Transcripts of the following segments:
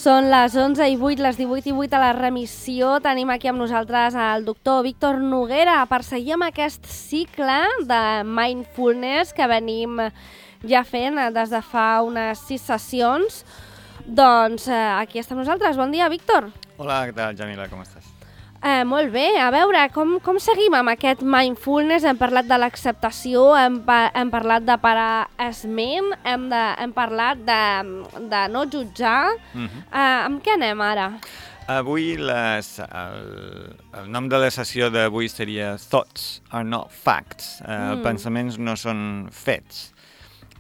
Són les 11:08, les 18:08 a la remissió. Tenim aquí amb nosaltres el doctor Víctor Noguera per seguir amb aquest cicle de mindfulness que venim ja fent des de fa unes 6 sessions. Doncs aquí estem nosaltres. Bon dia, Víctor. Hola, què tal, Jamila? Com estàs? Molt bé. A veure, com seguim amb aquest mindfulness? Hem parlat de l'acceptació, hem parlat de parar esment, hem parlat de no jutjar. Amb què anem ara? Avui el nom de la sessió d'avui seria Thoughts are not facts. Pensaments no són fets.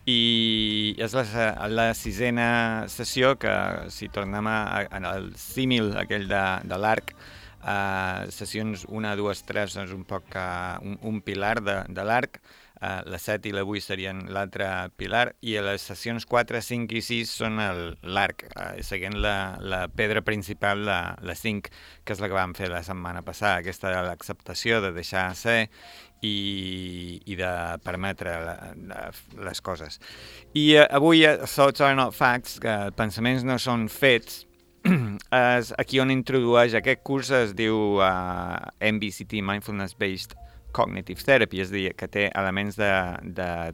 I és la sisena sessió que, si tornem al símil aquell de l'arc, sessions 1, 2, 3 és un poc un pilar de l'arc, la 7 i la 8 serien l'altre pilar, i les sessions 4, 5 i 6 són l'arc, seguint la pedra principal, la 5, que és la que vam fer la setmana passada, aquesta de l'acceptació, de deixar ser i de permetre les coses. I avui, Thoughts are not facts, que pensaments no són fets, és aquí on introdueix aquest curs. Es diu MBCT, Mindfulness Based Cognitive Therapy, és a dir, que té elements de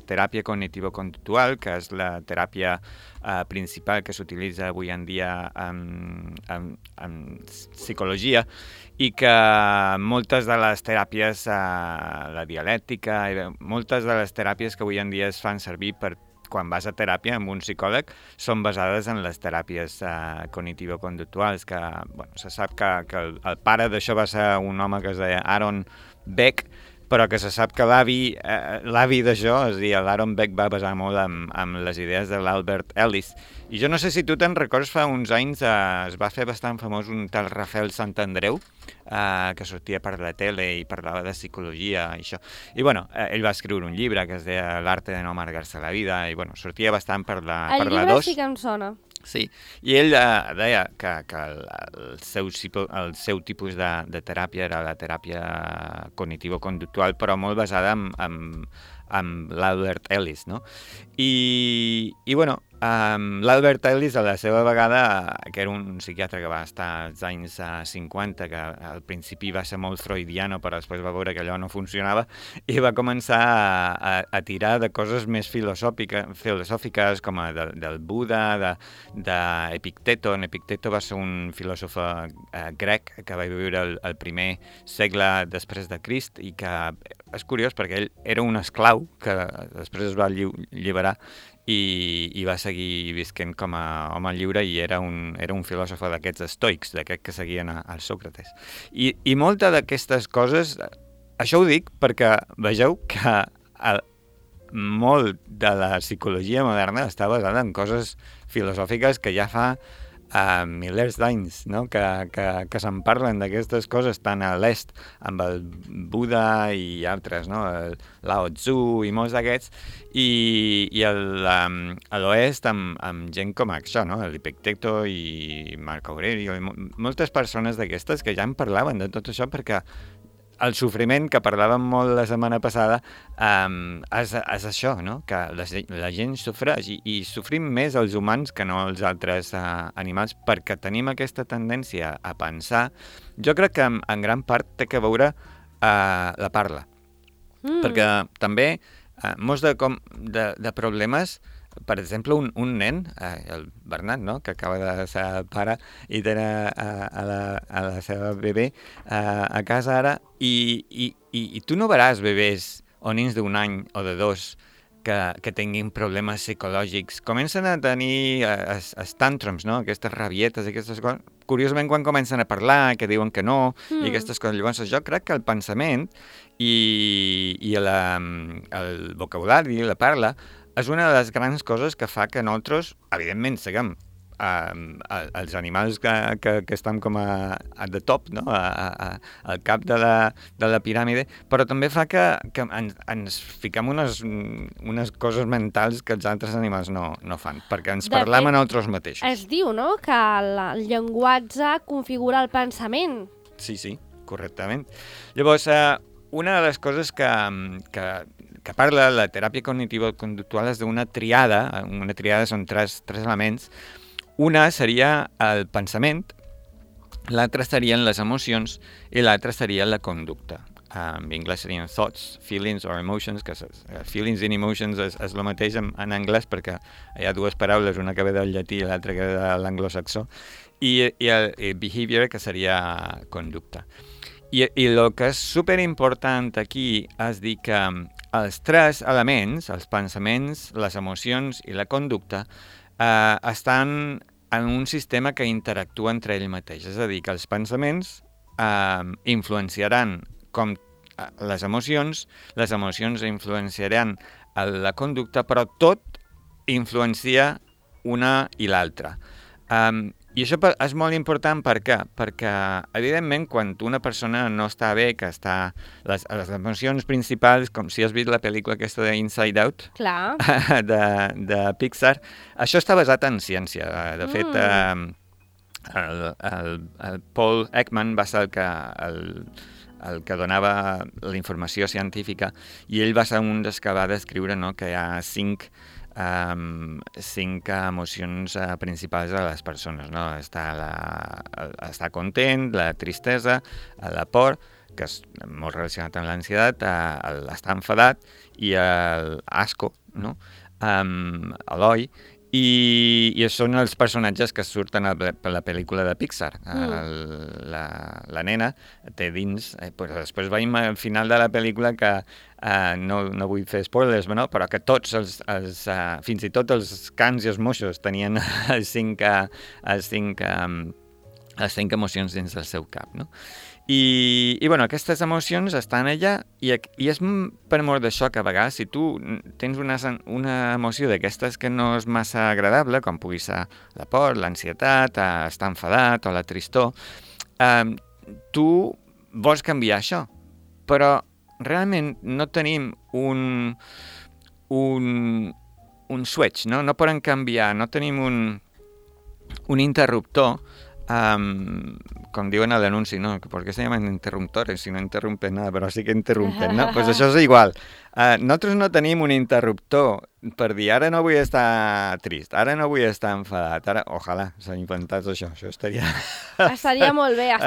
teràpia cognitivo-conductual, que és la teràpia principal que s'utilitza avui en dia en psicologia, i que moltes de les teràpies, la dialèctica, moltes de les teràpies que avui en dia es fan servir per quan vas a teràpia amb un psicòleg són basades en les teràpies cognitivo-conductuals, que se sap que el pare d'això va ser un home que es deia Aaron Beck, però que se sap que l'avi d'això, és a dir, l'Aaron Beck va basar molt amb les idees de l'Albert Ellis. I jo no sé si tu te'n recordes, fa uns anys es va fer bastant famós un tal Rafael Santandreu, que sortia per la tele i parlava de psicologia i això. I ell va escriure un llibre que es deia L'arte de no amargar-se la vida, i sortia bastant per la 2. El llibre sí que em sona. Sí, i ell deia que el seu tipus de teràpia era la teràpia cognitivo-conductual, però molt basada amb l'Albert Ellis, no? I l'Albert Ellis, a la seva vegada, que era un psiquiatre que va estar als anys 50, que al principi va ser molt freudiano, però després va veure que allò no funcionava, i va començar a tirar de coses més filosòfiques, com del Buda, d'Epicteto. Epicteto va ser un filòsof grec que va viure el primer segle després de Crist, i que és curiós perquè ell era un esclau que després es va alliberar i va seguir visquent com a home lliure, i era un filòsof d'aquests estoics, d'aquests que seguien al Sòcrates. I molta d'aquestes coses, això ho dic perquè vegeu que molt de la psicologia moderna està basada en coses filosòfiques que ja fa milers d'anys, no? que se'n parlen d'aquestes coses tant a l'est amb el Buda i altres, no? El Lao Tzu i molts d'aquests, i a l'oest amb gent com això, no? l'Epicteto i Marco Aurelio, i moltes persones d'aquestes que ja en parlaven de tot això, perquè el sofriment, que parlàvem molt la setmana passada, és això, no? Que la gent sofreix, i sofrim més els humans que no els altres animals, perquè tenim aquesta tendència a pensar. Jo crec que en gran part té que veure la parla, perquè també molts de problemes. Per exemple, un nen, el Bernat, no? Que acaba de ser pare i té a la seva bebè a casa ara, i tu no veràs bebès o nens d'un any o de 2 que tinguin problemes psicològics. Comencen a tenir tantrums, no? Aquestes rabietes, aquestes coses. Curiosament, quan comencen a parlar, que diuen que no, i aquestes coses. Llavors, jo crec que el pensament i el vocabulari, la parla, és una de les grans coses que fa que nosaltres, evidentment, siguem els animals que estan com at the top, no? Al cap de la piràmide, però també fa que ens fiquem unes coses mentals que els altres animals no fan, perquè ens parlem a nosaltres mateixos. Es diu, no?, que el llenguatge configura el pensament. Sí, correctament. Llavors, una de les coses que parla la teràpia cognitiva conductual és d'una triada. Una triada són tres elements. Una seria el pensament, l'altra serien les emocions i l'altra seria la conducta. En anglès serien thoughts, feelings or emotions, que feelings and emotions és el mateix en anglès perquè hi ha dues paraules, una que ve del llatí i l'altra que ve de l'anglosaxó, i el behavior, que seria conducta. I el que és superimportant aquí és dir que els tres elements, els pensaments, les emocions i la conducta, estan en un sistema que interactua entre ell mateix. És a dir, que els pensaments influenciaran com les emocions influenciaran la conducta, però tot influencia una i l'altra. I això és molt important perquè evidentment, quan una persona no està bé, que està les emocions principals, com si has vist la pel·lícula aquesta de Inside Out, Clar. de Pixar, això està basat en ciència. De fet, el Paul Ekman va ser el que donava la informació científica, i ell va ser un dels que va descriure, no, que hi ha cinc emocions principals de les persones, no? Estar content, la tristesa, la por, que és molt relacionat amb l'ansietat, l'estar enfadat, i l'asco, no? L'oi, i són els personatges que surten a la pel·lícula de Pixar. La nena té dins... Després veiem al final de la pel·lícula que no vull fer spoilers, però que tots fins i tot els cans i els moixos tenien les cinc emocions dins del seu cap, no? I aquestes emocions estan allà, i és per mort d'això que a vegades, si tu tens una emoció d'aquestes que no és massa agradable, com pugui ser la por, l'ansietat, estar enfadat o la tristor, tu vols canviar això, però realment no tenim un switch, no? No poden canviar, no tenim un interruptor, com diuen a l'anunci, no? ¿Por qué se llaman interruptores si no interrumpen nada? Però sí que interrumpen, no? Pues això és igual. Nosaltres no tenim un interruptor per dir, ara no vull estar trist, ara no vull estar enfadat, ara, ojalà s'ha inventat això estaria... Estaria molt bé,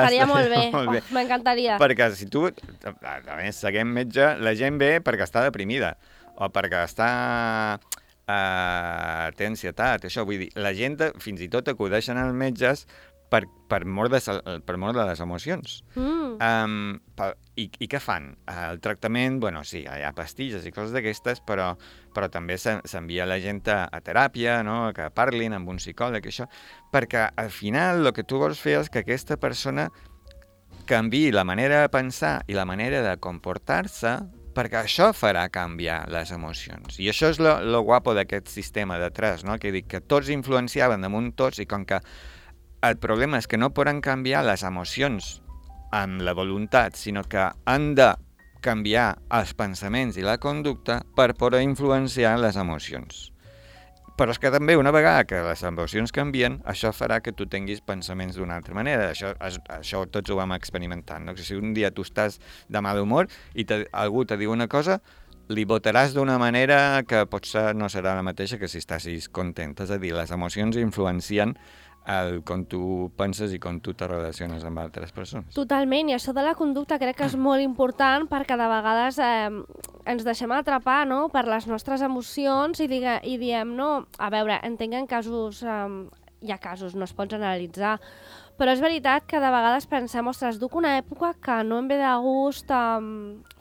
molt bé. M'encantaria. Perquè si tu, a més, seguim metge, la gent ve perquè està deprimida, o perquè té ansietat, això, vull dir, la gent fins i tot acudeixen als metges per mort de les emocions. I què fan? El tractament, sí, hi ha pastilles i coses d'aquestes, però també s'envia la gent a teràpia, no? Que parlin amb un psicòleg, això, perquè al final el que tu vols fer és que aquesta persona canviï la manera de pensar i la manera de comportar-se, perquè això farà canviar les emocions. I això és lo guapo d'aquest sistema de tres, no? Que dic que tots influenciaven damunt tots, i com que el problema és que no poden canviar les emocions amb la voluntat, sinó que han de canviar els pensaments i la conducta per poder influenciar les emocions. Però és que també, una vegada que les emocions canvien, això farà que tu tinguis pensaments d'una altra manera. Això tots ho vam experimentar, no? Si un dia tu estàs de mal humor i algú te diu una cosa, li votaràs d'una manera que potser no serà la mateixa que si estàs content. És a dir, les emocions influencien com tu penses i com tu te relaciones amb altres persones. Totalment, i això de la conducta crec que és molt important, perquè de vegades ens deixem atrapar, no?, per les nostres emocions i diem, no, a veure, entenc en casos, hi ha casos, no es pot generalitzar, però és veritat que de vegades pensem, ostres, duc una època que no em ve de gust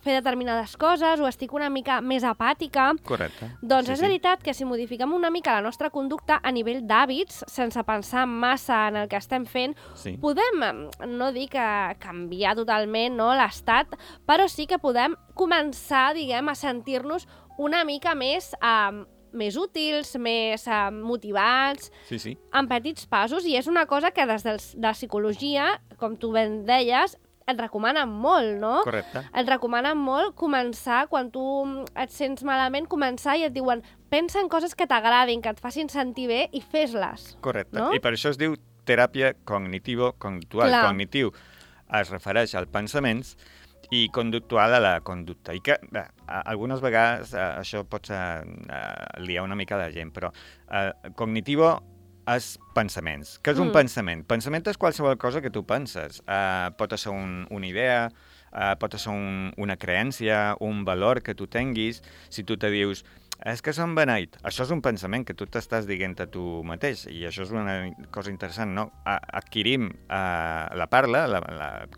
fer determinades coses, o estic una mica més apàtica. Correcte. Doncs és veritat que si modifiquem una mica la nostra conducta a nivell d'hàbits, sense pensar massa en el que estem fent, podem, no dir que canviar totalment, no, l'estat, però sí que podem començar, diguem, a sentir-nos una mica més útils, més motivats, en petits passos, i és una cosa que des de la psicologia, com tu ben deies, et recomanen molt, no? Correcte. Et recomanen molt començar, quan tu et sents malament, començar i et diuen, pensa en coses que t'agradin, que et facin sentir bé i fes-les. Correcte. No? I per això es diu teràpia cognitivo-conductual. Cognitiu es refereix als pensaments i conductual a la conducta. I que algunes vegades això pot liar una mica la gent, però cognitivo és pensaments. Què és un pensament? Pensament és qualsevol cosa que tu penses. Pot ser una idea, pot ser una creència, un valor que tu tinguis. Si tu te dius, és que som beneit, això és un pensament que tu t'estàs dient a tu mateix, i això és una cosa interessant, no? Adquirim la parla,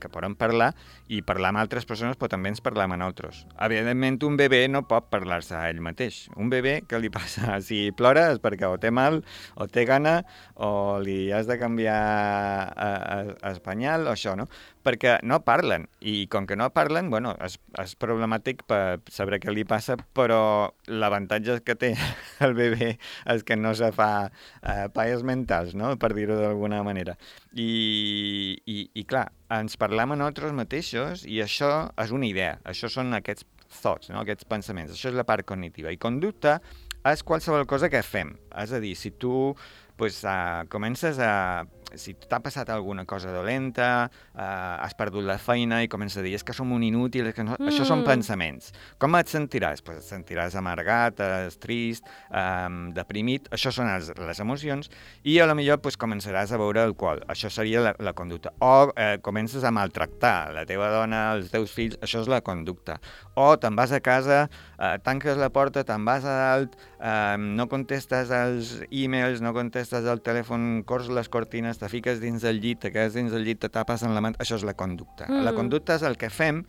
que podem parlar, i parlar amb altres persones, però també ens parlam a nosaltres. Evidentment, un bebè no pot parlar-se a ell mateix. Un bebè, què li passa? Si plora és perquè o té mal, o té gana, o li has de canviar espanyol, o això, no? Perquè no parlen, i com que no parlen, bueno, és problemàtic per saber què li passa, però l'avantatge que té el bebè és que no se fa palles mentals, no?, per dir-ho d'alguna manera. I clar, ens parlam a nosaltres mateixos, i això és una idea, això són aquests thoughts, no?, aquests pensaments, això és la part cognitiva. I conducta és qualsevol cosa que fem, és a dir, si tu comences a... Si t'ha passat alguna cosa dolenta, has perdut la feina i comences a dir, és que som un inútil, que no... Això són pensaments. Com et sentiràs? Pues et sentiràs amargat, trist, deprimit, això són les emocions, i a lo millor començaràs a beure alcohol, això seria la conducta. O comences a maltractar la teva dona, els teus fills, això és la conducta. O te'n vas a casa, tanques la porta, te'n vas a dalt, no contestes als e-mails, no contestes al telèfon, cors les cortines, te fiques dins del llit, te quedes dins del llit, te tapes en la mà... Això és la conducta. La conducta és el que fem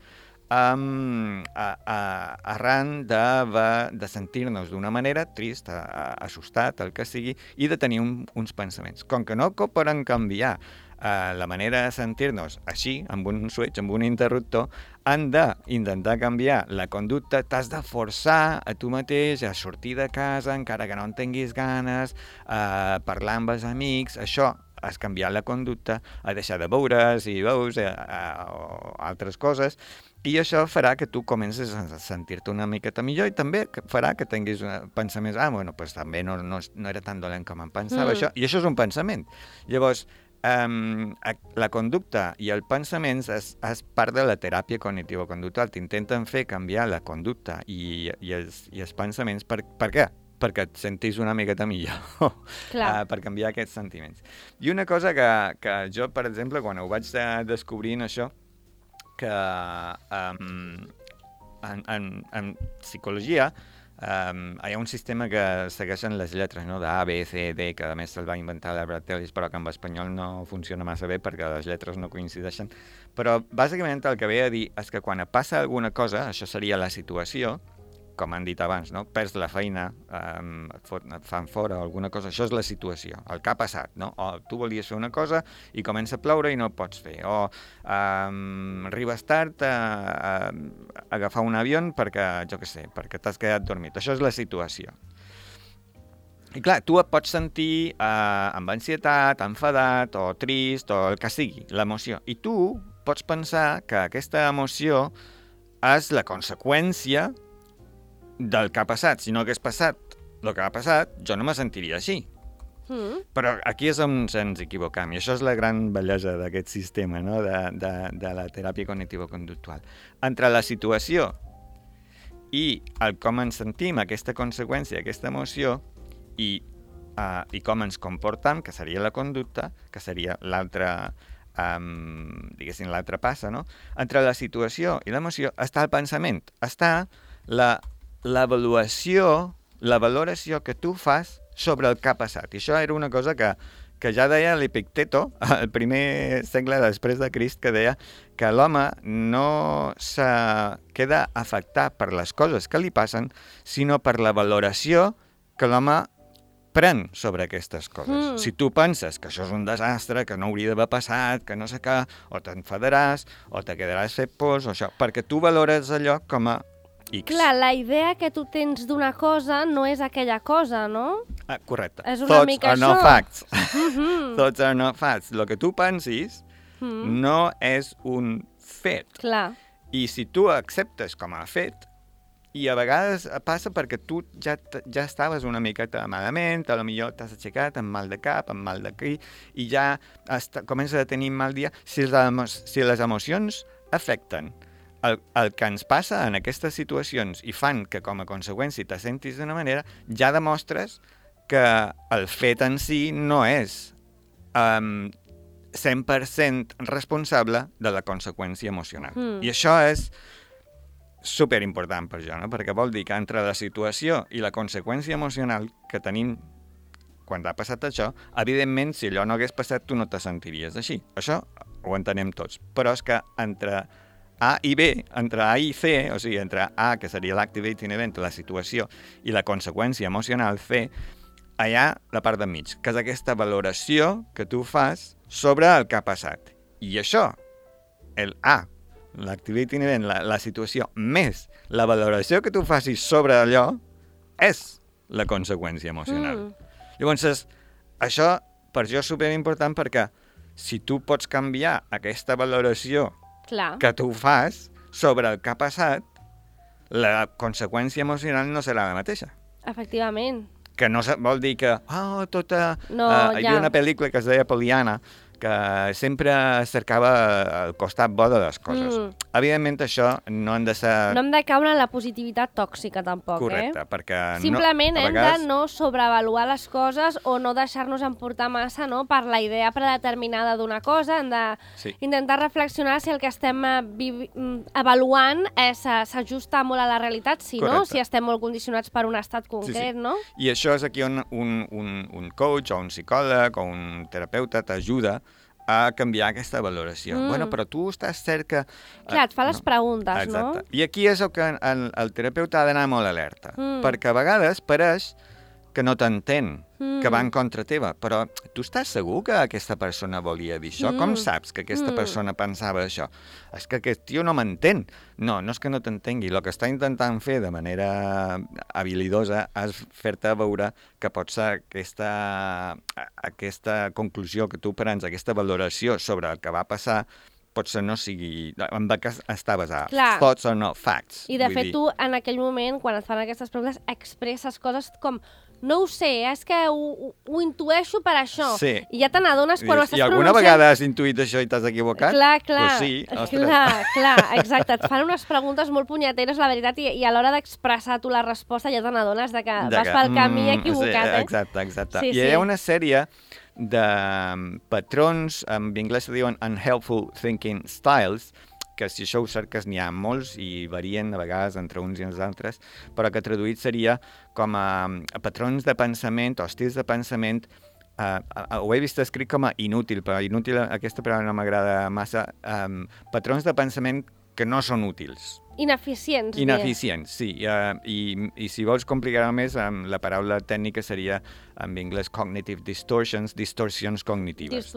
arran de sentir-nos d'una manera trist, assustat, el que sigui, i de tenir uns pensaments. Com que no poden canviar la manera de sentir-nos així, amb un switch, amb un interruptor, han d'intentar canviar la conducta, t'has de forçar a tu mateix a sortir de casa, encara que no en tinguis ganes, a parlar amb els amics, això has canviat la conducta, a deixar de beure, si beus, o altres coses, i això farà que tu comences a sentir-te una miqueta millor, i també farà que tinguis pensaments, pues també no era tan dolent com em pensava, això, i això és un pensament. Llavors, la conducta i el pensament és part de la teràpia cognitivo-conductual. T'intenten fer canviar la conducta i els pensaments. Per què? Perquè et sentis una miqueta millor, per canviar aquests sentiments. I una cosa que jo, per exemple, quan ho vaig descobrint això, que en psicologia hi ha un sistema que segueixen les lletres, no?, de A, B, C, D, que a més se'l va inventar l'Albert Ellis, però que en espanyol no funciona massa bé perquè les lletres no coincideixen. Però bàsicament el que ve a dir és que quan passa alguna cosa, això seria la situació, com han dit abans, no?, perds la feina, et fan fora o alguna cosa, això és la situació, el que ha passat, no? O tu volies fer una cosa i comença a ploure i no ho pots fer, o arribes tard a agafar un avió perquè, jo què sé, perquè t'has quedat dormit, això és la situació. I clar, tu et pots sentir amb ansietat, enfadat, o trist, o el que sigui, l'emoció, i tu pots pensar que aquesta emoció és la conseqüència del que ha passat. Si no hagués passat el que ha passat, jo no me sentiria així. Però aquí és on ens equivocam, i això és la gran bellesa d'aquest sistema, no?, de la teràpia cognitivo-conductual. Entre la situació i el com ens sentim, aquesta conseqüència, aquesta emoció, i com ens comportam, que seria la conducta, que seria l'altra, diguéssim, l'altra passa, no? Entre la situació i l'emoció està el pensament, està l'avaluació, la valoració que tu fas sobre el que ha passat. I això era una cosa que ja deia l'Epicteto, al primer segle després de Crist, que deia que l'home no se queda afectat per les coses que li passen, sinó per la valoració que l'home pren sobre aquestes coses. Si tu penses que això és un desastre, que no hauria d'haver passat, que no sé què, o t'enfadaràs, o te quedaràs fet pors, o això, perquè tu valores allò com a X. Clar, la idea que tu tens d'una cosa no és aquella cosa, no? Correcte. És una mica això. Thoughts are not facts. Thoughts are not facts. El que tu pensis no és un fet. Clar. I si tu acceptes com a fet, i a vegades passa perquè tu ja estaves una miqueta malament, a lo millor t'has aixecat amb mal de cap, amb mal d'aquí, i ja comences a tenir mal dia. Si les emocions afecten el que ens passa en aquestes situacions i fan que com a conseqüència te sentis d'una manera, ja demostres que el fet en si no és 100% responsable de la conseqüència emocional. I això és superimportant per jo, no? Perquè vol dir que entre la situació i la conseqüència emocional que tenim quan ha passat això, evidentment, si allò no hagués passat, tu no te sentiries així. Això ho entenem tots. Però és que entre A i B, entre A i C, o sigui, entre A, que seria l'activating event, la situació, i la conseqüència emocional, C, allà la part de mig, que és aquesta valoració que tu fas sobre el que ha passat. I això, el A, l'activating event, la situació, més la valoració que tu facis sobre allò, és la conseqüència emocional. Llavors, això per jo és superimportant perquè si tu pots canviar aquesta valoració que tu fas sobre el que ha passat, la conseqüència emocional no serà la mateixa. Efectivament. Que no vol dir que, No, hi havia una pel·lícula que es deia Poliana, que sempre cercava el costat bo de les coses. Evidentment, això no hem de ser... No hem de caure en la positivitat tòxica, tampoc, Correcte, perquè... Simplement hem de no sobreavaluar les coses o no deixar-nos emportar massa, no?, per la idea predeterminada d'una cosa. Hem d'intentar reflexionar si el que estem avaluant s'ajusta molt a la realitat, si estem molt condicionats per un estat concret, no? I això és aquí on un coach o un psicòleg o un terapeuta t'ajuda a canviar aquesta valoració. Bueno, però tu estàs cert que... Clar, et fa les preguntes, exacte. I aquí és el que el terapeuta ha d'anar molt alerta, perquè a vegades pareix que no t'entén, que va en contra teva, però tu estàs segur que aquesta persona volia dir això? Com saps que aquesta persona pensava això? És que aquest tio no m'entén. No és que no t'entengui. El que està intentant fer de manera habilidosa és fer-te veure que pot ser aquesta conclusió que tu prens, aquesta valoració sobre el que va passar, potser no sigui... en què està basada. Thoughts or not facts. I de fet tu, en aquell moment, quan et fan aquestes preguntes, expresses coses com no ho sé, és que ho intueixo per això. Sí. I ja te n'adones quan ho estàs pronunciant. I alguna vegada has intuït això i t'has equivocat? Clar. Pues sí, ostres. Clar, exacte. Et fan unes preguntes molt punyeteres, la veritat, i a l'hora d'expressar tu la resposta ja te n'adones que vas pel camí equivocat. Exacte. I hi ha una sèrie de patrons, en anglès se diuen unhelpful thinking styles, que si això ho cerques n'hi ha molts i varien a vegades entre uns i els altres, però que traduït seria com a patrons de pensament o estils de pensament, ho he vist escrit com a inútil, però inútil aquesta paraula no m'agrada massa, patrons de pensament que no són útils. Ineficients. Ineficients, sí. I si vols complicar-ho més, la paraula tècnica seria, en anglès, cognitive distortions, distorsions cognitives.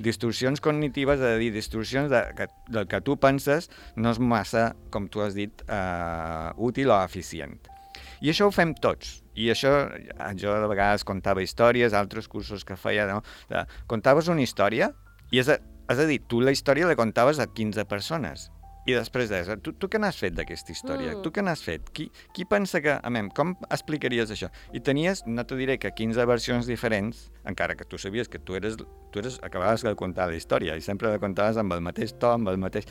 Distorsions cognitives, és a dir, distorsions del que tu penses no és massa, com tu has dit, útil o eficient. I això ho fem tots. I això, jo de vegades contava històries, altres cursos que feia, no? Contaves una història i és a dir, tu la història la contaves a 15 persones. I després tu què n'has fet d'aquesta història? Tu què n'has fet? Qui pensa que... com explicaries això? I tenies, no te diré que 15 versions diferents, encara que tu sabies que tu acabaves de contar la història i sempre la contaves amb el mateix to, amb el mateix...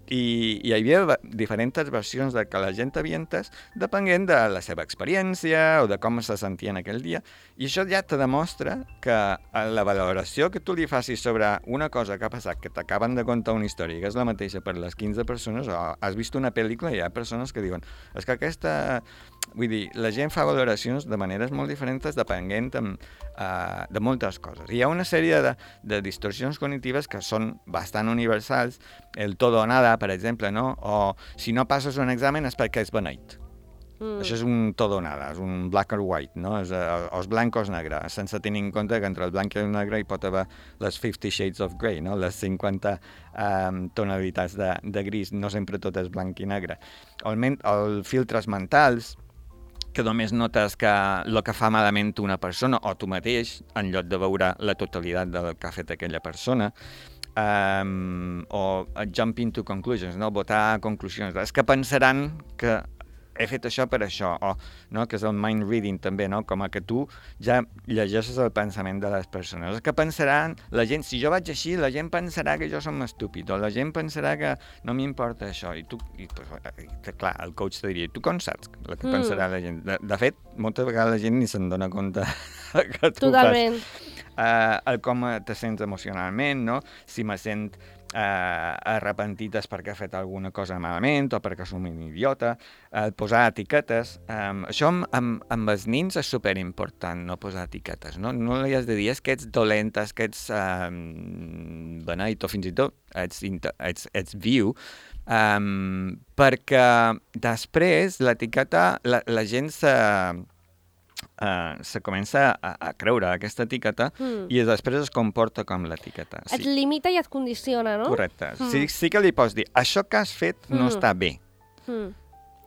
I hi havia diferents versions de que la gent havia entès depenent de la seva experiència o de com se sentien aquell dia. I això ja te demostra que la valoració que tu li facis sobre una cosa que ha passat, que t'acaben de contar una història que és la mateixa per les 15 persones, o has vist una pel·lícula i hi ha persones que diuen és que aquesta... Vull dir, la gent fa valoracions de maneres molt diferents depenent de moltes coses. Hi ha una sèrie de distorsions cognitives que són bastant universals, el todo o nada, per exemple, no? O si no passes un examen és perquè és beneït. Això és un todo o nada, és un black or white, no? És blanc o és negre, sense tenir en compte que entre el blanc i el negre hi pot haver les 50 shades of grey, no? Les 50 tonalitats de gris, no sempre tot és blanc i negre. Els filtres mentals, que només notes que el que fa malament una persona o tu mateix, en lloc de veure la totalitat del que ha fet aquella persona, o jumping to conclusions, no? Votar a conclusions. És que pensaran que he fet això per això, o no, que és el mind reading també, no? Com a que tu ja llegeixes el pensament de les persones. Que pensaran, la gent, si jo vaig així, la gent pensarà que jo som estúpid, o la gent pensarà que no m'importa això, i tu, clar, el coach te diria, tu com saps el que pensarà la gent? De fet, moltes vegades la gent ni se'n dona compte que tu Totalment. fas. Com te sents emocionalment, no? Si me sent arrepentit és perquè ha fet alguna cosa malament o perquè som un idiota, posar etiquetes. Això amb els nins és superimportant, no posar etiquetes. No li has de dir que ets dolent, que ets beneit o fins i tot ets viu, perquè després l'etiqueta, la gent se comença a creure aquesta etiqueta i després es comporta com l'etiqueta. Et limita i et condiciona, no? Correcte. Sí que li pots dir, això que has fet no està bé,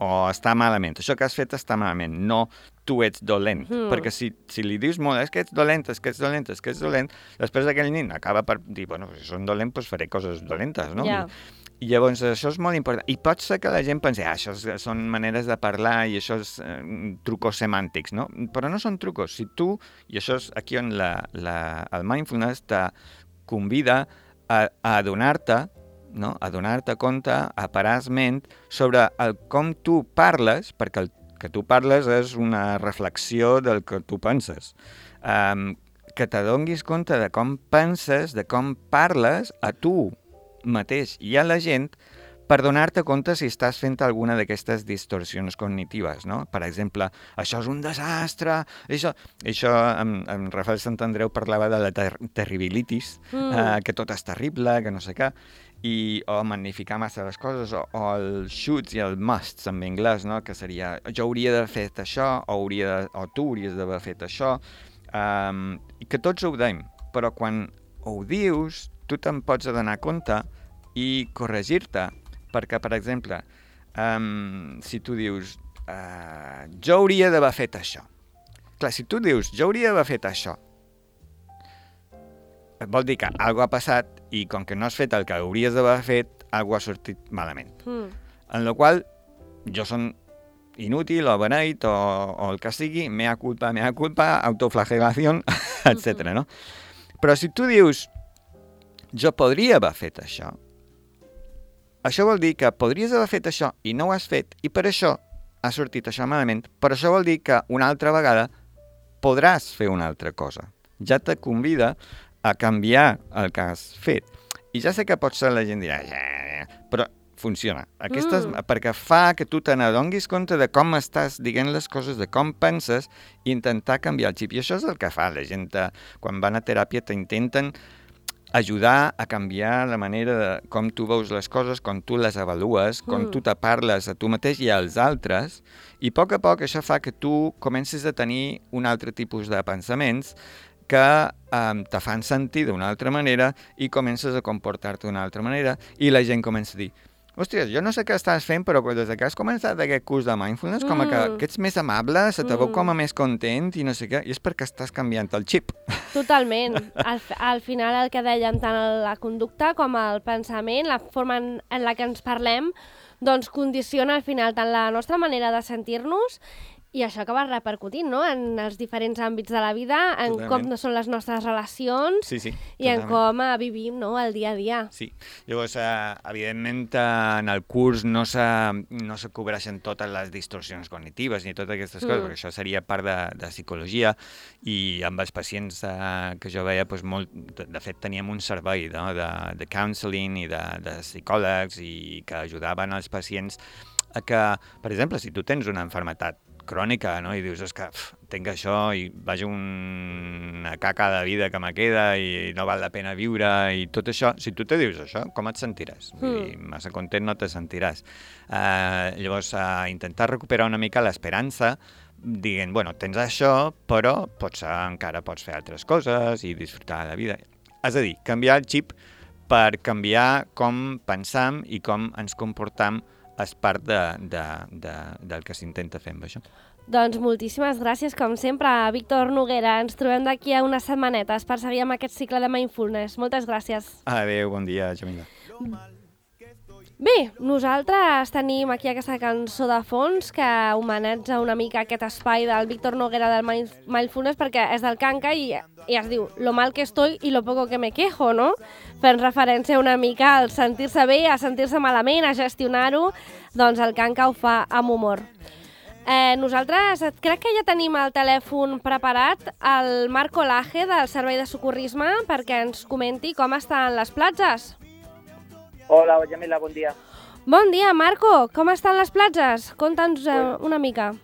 o està malament, això que has fet està malament, no tu ets dolent, perquè si li dius molt, és que ets dolent, després aquell nin acaba per dir, bueno, si són dolent, doncs faré coses dolentes, no? Ja. I llavors això és molt important. I pot ser que la gent pensi, això són maneres de parlar i això és trucos semàntics, no? Però no són trucos. Si tu, i això és aquí on el mindfulness te convida a adonar-te, no? A donar-te compte, a parar ment sobre com tu parles, perquè el que tu parles és una reflexió del que tu penses. Que t'adonguis compte de com penses, de com parles a tu mateix i a la gent per donar-te compte si estàs fent alguna d'aquestes distorsions cognitives, no? Per exemple, això és un desastre, això en Rafael Santandreu parlava de la terribilitis, que tot és terrible, que no sé què, o magnificar massa les coses, o el shoulds i el musts en anglès, no? Que seria, jo hauria d'haver fet això, o tu hauries d'haver fet això, i que tots ho deim, però quan ho dius, tu te'n pots adonar compte i corregir-te, perquè, per exemple, si tu dius, jo hauria d'haver fet això. Clar, si tu dius, jo hauria d'haver fet això, vol dir que alguna ha passat i com que no has fet el que hauries d'haver fet, alguna ha sortit malament. En la qual jo som inútil o beneit o el que sigui, mea culpa, autoflagelació, etc. No? Però si tu dius, jo podria haver fet això vol dir que podries haver fet això i no ho has fet, i per això ha sortit això malament, però això vol dir que una altra vegada podràs fer una altra cosa. Ja te convida a canviar el que has fet. I ja sé que potser la gent dirà, però funciona. Perquè fa que tu te n'adonguis compte de com estàs dient les coses, de com penses, i intentar canviar el xip. I això és el que fa la gent. Quan van a teràpia t'intenten ajudar a canviar la manera de com tu veus les coses, com tu les avalues, com tu te parles a tu mateix i als altres, i a poc això fa que tu comencis a tenir un altre tipus de pensaments que te fan sentir d'una altra manera i comences a comportar-te d'una altra manera i la gent comença a dir, hòsties, jo no sé què estàs fent, però des que has començat aquest curs de mindfulness, com que ets més amable, se te veu com a més content i no sé què, i és perquè estàs canviant el xip. Totalment. Al final el que dèiem, tant la conducta com el pensament, la forma en la que ens parlem, doncs condiciona al final tant la nostra manera de sentir-nos i això acaba repercutint, no?, en els diferents àmbits de la vida, en com són les nostres relacions i en com vivim, no?, el dia a dia. Sí. Llavors, evidentment, en el curs no se cobreixen totes les distorsions cognitives ni totes aquestes coses, perquè això seria part de psicologia, i amb els pacients que jo veia, de fet, teníem un servei de counseling i de psicòlegs i que ajudaven els pacients a que, per exemple, si tu tens una malaltia crònica, no? I dius, és que tinc això i vaig una caca de vida que me queda i no val la pena viure i tot això, si tu te dius això, com et sentiràs? Vull dir, massa content no te sentiràs. Llavors, intentar recuperar una mica l'esperança dient, bueno, tens això, però potser encara pots fer altres coses i disfrutar de la vida. És a dir, canviar el xip per canviar com pensam i com ens comportam és part del que s'intenta fer amb això. Doncs moltíssimes gràcies, com sempre, Víctor Noguera. Ens trobem d'aquí a unes setmanetes per seguir amb aquest cicle de Mindfulness. Moltes gràcies. Adéu, bon dia, Jamila. Bé, nosaltres tenim aquí aquesta cançó de fons que homenatja una mica aquest espai del Víctor Noguera del Mindfulness perquè és del Kanka i es diu Lo mal que estoy y lo poco que me quejo, no? Fent referència una mica al sentir-se bé, a sentir-se malament, a gestionar-ho, doncs el Kanka ho fa amb humor. Nosaltres crec que ja tenim el telèfon preparat el Marco Laje del Servei de Socorrisme perquè ens comenti com estan les platges. Hola, Yamila, buen día. Bon dia, Marco. ¿Cómo están las playas? Conta'ns una mica.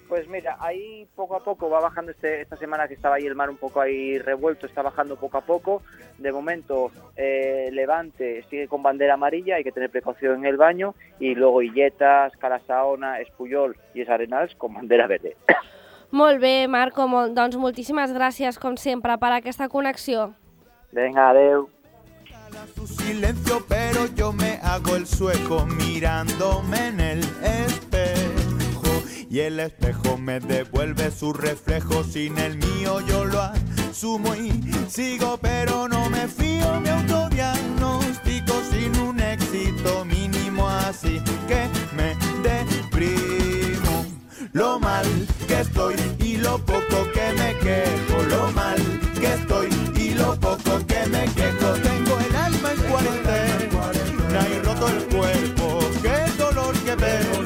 Pues mira, ahí poco a poco va bajando esta semana que estaba ahí el mar un poco ahí revuelto, está bajando poco a poco. De momento, Levante sigue con bandera amarilla, hay que tener precaución en el baño. Y luego Illetas, Calasaona, Espuyol y Es Arenals con bandera verde. Molt bé, Marco. Doncs moltíssimes gràcies, com sempre, per aquesta connexió. Venga, adeu. Su silencio, pero yo me hago el sueco mirándome en el espejo y el espejo me devuelve su reflejo. Sin el mío yo lo asumo y sigo, pero no me fío. Me autodiagnostico sin un éxito mínimo, así que me deprimo. Lo mal que estoy y lo poco que me quejo, lo mal que estoy y lo poco que me quejo. Tengo el alma en cuarentena y roto el cuerpo, qué dolor que veo,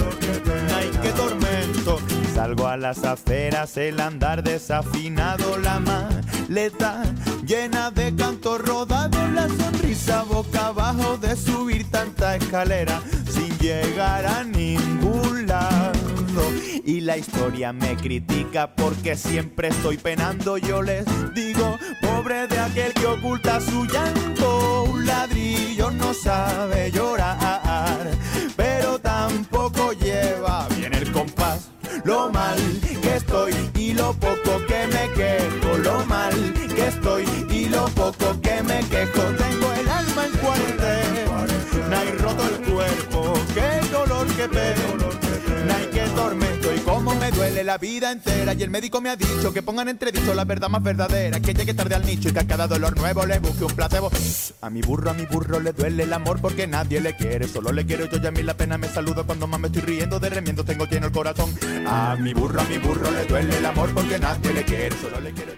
ay, qué tormento. Salgo a las aceras, el andar desafinado, la maleta llena de cantos rodados, la sonrisa boca abajo de subir tanta escalera sin llegar a ningún lado. Y la historia me critica porque siempre estoy penando. Yo les digo, pobre de aquel que oculta su llanto. Un ladrillo no sabe llorar, pero tampoco lleva bien el compás. Lo mal que estoy y lo poco que me quejo, lo mal que estoy y lo poco que me quejo. Tengo el alma en cuarentena y roto el cuerpo, qué dolor que pego, ay, qué tormento y cómo me duele la vida entera. Y el médico me ha dicho que pongan entredicho la verdad más verdadera, que llegue tarde al nicho y que a cada dolor nuevo le busque un placebo. A mi burro le duele el amor porque nadie le quiere, solo le quiero yo y a mí la pena me saluda cuando más me estoy riendo de remiendo tengo lleno el corazón. A mi burro le duele el amor porque nadie le quiere, solo le quiero yo.